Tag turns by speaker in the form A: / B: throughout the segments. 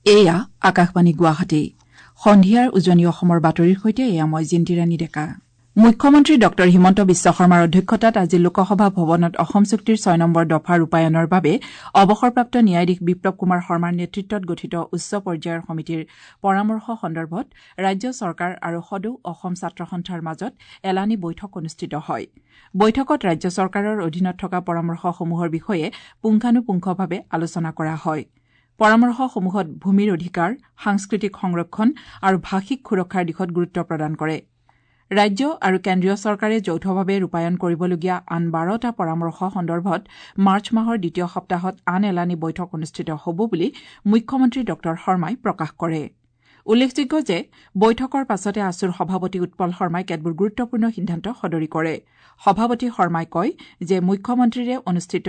A: এয়া আকাশবাণী গুৱাহাটী। সন্ধিয়াৰ উজনি অসমৰ বাতৰিৰ সৈতে এয়া মই জিন্তিৰাণী ডেকা। মুখ্যমন্ত্ৰী ডঃ হিমন্ত বিশ্ব শৰ্মাৰ অধ্যক্ষতাত আজি লোকসভা ভৱনত অসম চুক্তিৰ ৬ নম্বৰ দফা ৰূপায়ণৰ বাবে অৱসৰপ্ৰাপ্ত ন্যায়াধীশ বিপ্লৱ কুমাৰ শৰ্মাৰ নেতৃত্বত গঠিত উচ্চ পৰ্যায়ৰ সমিতিৰ পৰামৰ্শ সন্দৰ্ভত ৰাজ্য চৰকাৰ আৰু সদৌ অসম ছাত্ৰ সন্থাৰ মাজত এলানি বৈঠক অনুষ্ঠিত হয়। বৈঠকত ৰাজ্য চৰকাৰৰ অধীনত থকা পৰামৰ্শসমূহৰ বিষয়ে পুংখানুপুংখভাৱে আলোচনা কৰা হয়। পৰামৰ্শসমূহত ভূমিৰ অধিকাৰ, সাংস্কৃতিক সংৰক্ষণ আৰু ভাষিক সুৰক্ষাৰ দিশত গুৰুত্ব প্ৰদান কৰে। ৰাজ্য আৰু কেন্দ্ৰীয় চৰকাৰে যৌথভাৱে ৰূপায়ণ কৰিবলগীয়া আন ১২টা পৰামৰ্শ সন্দৰ্ভত মাৰ্চ মাহৰ দ্বিতীয় সপ্তাহত আন এলানি বৈঠক অনুষ্ঠিত হ'ব বুলি মুখ্যমন্ত্ৰী ডঃ শৰ্মাই প্ৰকাশ কৰে। উল্লেখযোগ্য যে বৈঠকৰ পাছতে আছুৰ সভাপতি উৎপল শৰ্মাই কেতবোৰ গুৰুত্বপূৰ্ণ সিদ্ধান্ত সদৰি কৰে। সভাপতি শৰ্মাই কয় যে মুখ্যমন্ত্ৰীৰে অনুষ্ঠিত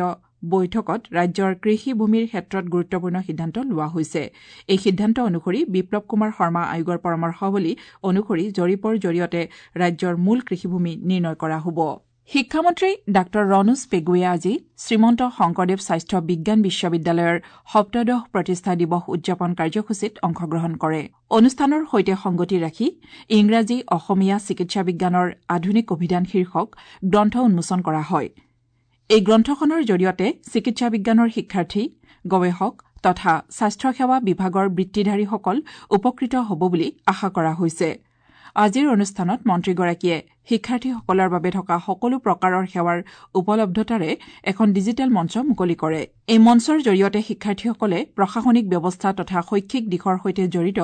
A: বৈঠকত ৰাজ্যৰ কৃষি ভূমিৰ ক্ষেত্ৰত গুৰুত্বপূৰ্ণ সিদ্ধান্ত লোৱা হৈছে। এই সিদ্ধান্ত অনুসৰি বিপ্লৱ কুমাৰ শৰ্মা আয়োগৰ পৰামৰ্শাৱলী অনুসৰি জৰীপৰ জৰিয়তে ৰাজ্যৰ মূল কৃষিভূমি নিৰ্ণয় কৰা হ'ব। শিক্ষামন্ত্ৰী ডাঃ ৰণোজ পেগুৱে আজি শ্ৰীমন্ত শংকৰদেৱ স্বাস্থ্য বিজ্ঞান বিশ্ববিদ্যালয়ৰ সপ্তদশ প্ৰতিষ্ঠা দিৱস উদযাপন কাৰ্যসূচীত অংশগ্ৰহণ কৰে। অনুষ্ঠানৰ সৈতে সংগতি ৰাখি ইংৰাজী অসমীয়া চিকিৎসা বিজ্ঞানৰ আধুনিক অভিধান শীৰ্ষক গ্ৰন্থ উন্মোচন কৰা হয়। এই গ্ৰন্থখনৰ জৰিয়তে চিকিৎসা বিজ্ঞানৰ শিক্ষাৰ্থী, গৱেষক তথা স্বাস্থ্যসেৱা বিভাগৰ বৃত্তিধাৰীসকল উপকৃত হ'ব বুলি আশা কৰা হৈছে। আজিৰ অনুষ্ঠানত মন্ত্ৰীগৰাকীয়ে শিক্ষাৰ্থীসকলৰ বাবে থকা সকলো প্ৰকাৰৰ সেৱাৰ উপলব্ধতাৰে এখন ডিজিটেল মঞ্চ মুকলি কৰে। এই মঞ্চৰ জৰিয়তে শিক্ষাৰ্থীসকলে প্ৰশাসনিক ব্যৱস্থা তথা শৈক্ষিক দিশৰ সৈতে জড়িত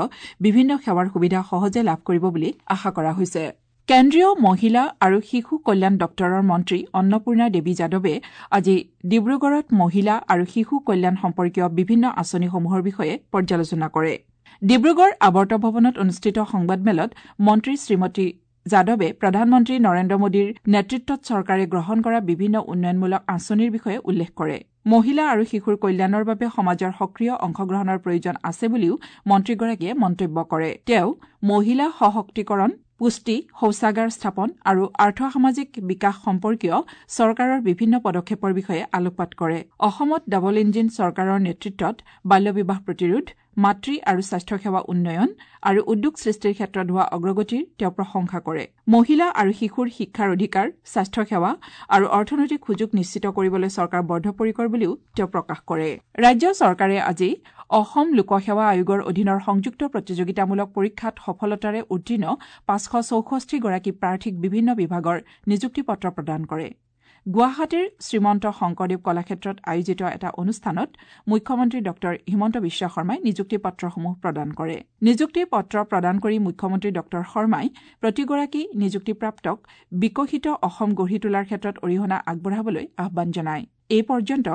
A: বিভিন্ন সেৱাৰ সুবিধা সহজে লাভ কৰিব বুলি আশা কৰা হৈছে। কেন্দ্ৰীয় মহিলা আৰু শিশু কল্যাণ দপ্তৰৰ মন্ত্ৰী অন্নপূৰ্ণা দেৱী যাদৱে আজি ডিব্ৰুগড়ত মহিলা আৰু শিশু কল্যাণ সম্পৰ্কীয় বিভিন্ন আঁচনিসমূহৰ বিষয়ে পৰ্যালোচনা কৰে। ডিব্ৰুগড় আৱৰ্ত ভৱনত অনুষ্ঠিত সংবাদমেলত মন্ত্ৰী শ্ৰীমতী যাদৱে প্ৰধানমন্ত্ৰী নৰেন্দ্ৰ মোদীৰ নেতৃত্বত চৰকাৰে গ্ৰহণ কৰা বিভিন্ন উন্নয়নমূলক আঁচনিৰ বিষয়ে উল্লেখ কৰে। মহিলা আৰু শিশুৰ কল্যাণৰ বাবে সমাজৰ সক্ৰিয় অংশগ্ৰহণৰ প্ৰয়োজন আছে বুলিও মন্ত্ৰীগৰাকীয়ে মন্তব্য কৰে। তেওঁ মহিলা সশক্তিকৰণ, পুষ্টি, শৌচাগাৰ স্থাপন আৰু আৰ্থসামাজিক বিকাশ সম্পৰ্কীয় চৰকাৰৰ বিভিন্ন পদক্ষেপৰ বিষয়ে আলোকপাত কৰে। অসমত ডাবল ইঞ্জিন চৰকাৰৰ নেতৃত্বত বাল্যবিবাহ প্ৰতিৰোধ, মাতৃ আৰু স্বাস্থ্যসেৱা উন্নয়ন আৰু উদ্যোগ সৃষ্টিৰ ক্ষেত্ৰত হোৱা অগ্ৰগতিৰ তেওঁ প্ৰশংসা কৰে। মহিলা আৰু শিশুৰ শিক্ষাৰ অধিকাৰ, স্বাস্থ্যসেৱা আৰু অৰ্থনৈতিক সুযোগ নিশ্চিত কৰিবলৈ চৰকাৰ বদ্ধপৰিকৰ বুলিও তেওঁ প্ৰকাশ কৰে। ৰাজ্য চৰকাৰে আজি অসম লোকসেৱা আয়োগৰ অধীনৰ সংযুক্ত প্ৰতিযোগিতামূলক পৰীক্ষাত সফলতাৰে উত্তীৰ্ণ ৫৬৪গৰাকী প্ৰাৰ্থীক বিভিন্ন বিভাগৰ নিযুক্তি পত্ৰ প্ৰদান কৰে। গুৱাহাটীৰ শ্ৰীমন্ত শংকৰদেৱ কলাক্ষেত্ৰত আয়োজিত এটা অনুষ্ঠানত মুখ্যমন্ত্ৰী ডঃ হিমন্ত বিশ্ব শৰ্মাই নিযুক্তি পত্ৰসমূহ প্ৰদান কৰে। নিযুক্তি পত্ৰ প্ৰদান কৰি মুখ্যমন্ত্ৰী ডঃ শৰ্মাই প্ৰতিগৰাকী নিযুক্তিপ্ৰাপ্তক বিকশিত অসম গঢ়ি তোলাৰ ক্ষেত্ৰত অৰিহণা আগবঢ়াবলৈ আহ্বান জনায়। এই পৰ্যন্ত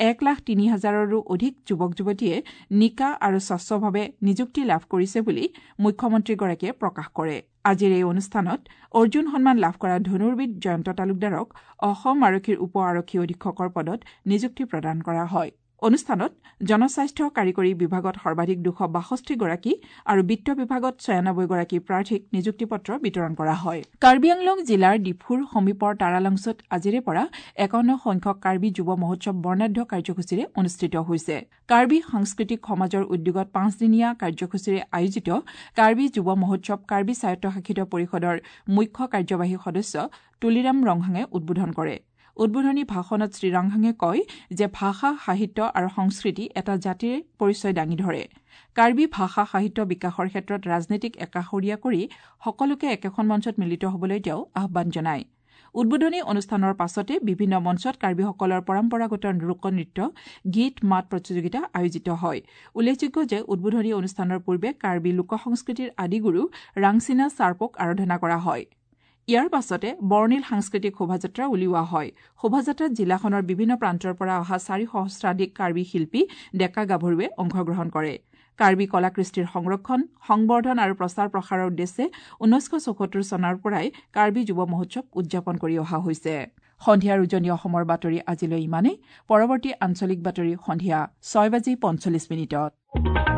A: ১,০৩,০০০ৰো অধিক যুৱক যুৱতীয়ে নিকা আৰু স্বচ্ছভাৱে নিযুক্তি লাভ কৰিছে বুলি মুখ্যমন্ত্ৰীগৰাকীয়ে প্ৰকাশ কৰে। আজিৰ এই অনুষ্ঠানত অৰ্জুন সন্মান লাভ কৰা ধনুৰ্বিদ জয়ন্ত তালুকদাৰক অসম আৰক্ষীৰ উপ আৰক্ষী অধীক্ষকৰ পদত নিযুক্তি প্ৰদান কৰা হয়। অনুষ্ঠানত জনস্বাস্থ্য কাৰিকৰী বিভাগত সৰ্বাধিক ২৬২গৰাকী আৰু বিত্ত বিভাগত ৯৬গৰাকী প্ৰাৰ্থীক নিযুক্তি পত্ৰ বিতৰণ কৰা হয়। কাৰ্বি আংলং জিলাৰ ডিফুৰ সমীপৰ তাৰালাংছত আজিৰে পৰা ৫১ সংখ্যক কাৰ্বি যুৱ মহোৎসৱ বৰ্ণাঢ্য কাৰ্যসূচীৰে অনুষ্ঠিত হৈছে। কাৰ্বি সাংস্কৃতিক সমাজৰ উদ্যোগত ৫দিনীয়া কাৰ্যসূচীৰে আয়োজিত কাৰ্বি যুৱ মহোৎসৱ কাৰ্বি স্বায়ত্তশাসিত পৰিষদৰ মুখ্য কাৰ্যবাহী সদস্য তুলিৰাম ৰংহাঙে উদ্বোধন কৰে। উদ্বোধনী ভাষণত শ্ৰীৰংহাঙে কয় যে ভাষা, সাহিত্য আৰু সংস্কৃতি এটা জাতিৰ পৰিচয় দাঙি ধৰে। কাৰ্বি ভাষা সাহিত্য বিকাশৰ ক্ষেত্ৰত ৰাজনীতিক একাষৰীয়া কৰি সকলোকে একেখন মঞ্চত মিলিত হ'বলৈ তেওঁ আহ্বান জনায়। উদ্বোধনী অনুষ্ঠানৰ পাছতে বিভিন্ন মঞ্চত কাৰ্বিসকলৰ পৰম্পৰাগত লোকনৃত্য, গীত মাত প্ৰতিযোগিতা আয়োজিত হয়। উল্লেখযোগ্য যে উদ্বোধনী অনুষ্ঠানৰ পূৰ্বে কাৰ্বি লোকসংস্কৃতিৰ আদিগুৰু ৰাংচিনা চাৰ্পক আৰাধনা কৰা হয়। ইয়াৰ পাছতে বৰ্ণিল সাংস্কৃতিক শোভাযাত্ৰা উলিওৱা হয়। শোভাযাত্ৰাত জিলাখনৰ বিভিন্ন প্ৰান্তৰ পৰা অহা ৪ সহস্ৰাধিক কাৰ্বি শিল্পী, ডেকা গাভৰুৱে অংশগ্ৰহণ কৰে। কাৰ্বি কলা কৃষ্টিৰ সংৰক্ষণ, সংবৰ্ধন আৰু প্ৰচাৰ প্ৰসাৰৰ উদ্দেশ্যে ১৯৭৪ চনৰ পৰাই কাৰ্বি যুৱ মহোৎসৱ উদযাপন কৰি অহা হৈছে। সন্ধিয়াৰ উজনি অসমৰ বাতৰি আজিলৈ ইমানেই। পৰৱৰ্তী আঞ্চলিক বাতৰি সন্ধিয়া ৬:৪৫।